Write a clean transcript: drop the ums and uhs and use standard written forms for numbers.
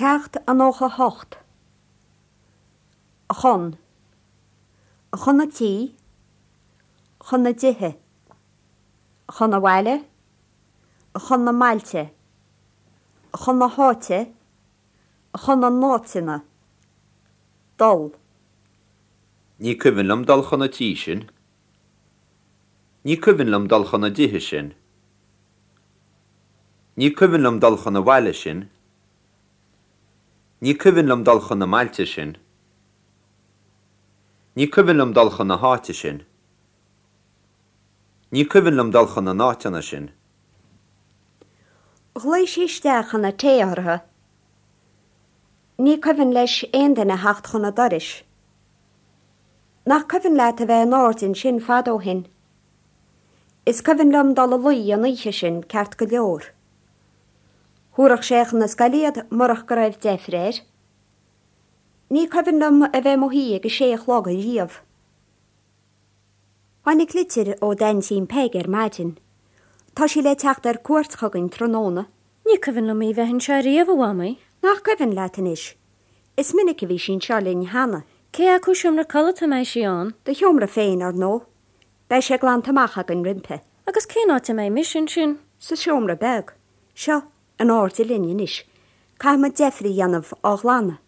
Ceacht 98. Chun. Chun an tí. Chun na dtithe. Chun an bhaile. Chun na mbailte. Chun na háite. Chun na n-áiteanna. Dul. Ní cuimhin liom dul chun an tí sin. Ní cuimhin liom dul chun na dtithe sin. Ní cuimhin liom dul chun an bhaile sin. Ní cuimhin liom dul chun na mbailte sin. Ní cuimhin liom dul chun na háite sin. Ní cuimhin liom dul chun na n-áiteanna sin. Ghlaoigh sí isteach chun an tae orthu. Ní cuimhin leis aon duine a theacht chun an dorais. Nach cuimhin leat a bheith in airde ansin fad ó shin? Is cuimhin liom dul a luí an oíche sin ceart go leor. Thabharfadh sé chun na scoile iad murach go raibh deifir air. Ní cuimhin liom a bheith i mo shuí ag a sé a chlog riamh. Tháinig litir ó d'aintín Peig ar maidin. Tá sí le teacht ar cuairt chugainn tráthnóna. Ní cuimhin liom í bheith anseo riamh, a Mhamaí. Nach cuimhin leat anois? Is minic a bhí sí anseo linn cheana. Cé acu seomra codlata a mbeidh sí ann? Do sheomra féin, ar ndóigh. Beidh sé glanta amach againn roimpi. Agus cén áit a mbeidh mise ansin? Sa seomra beag. Seo, in airde linn anois. Caithfidh muid deifir a dhéanamh á ghlanadh.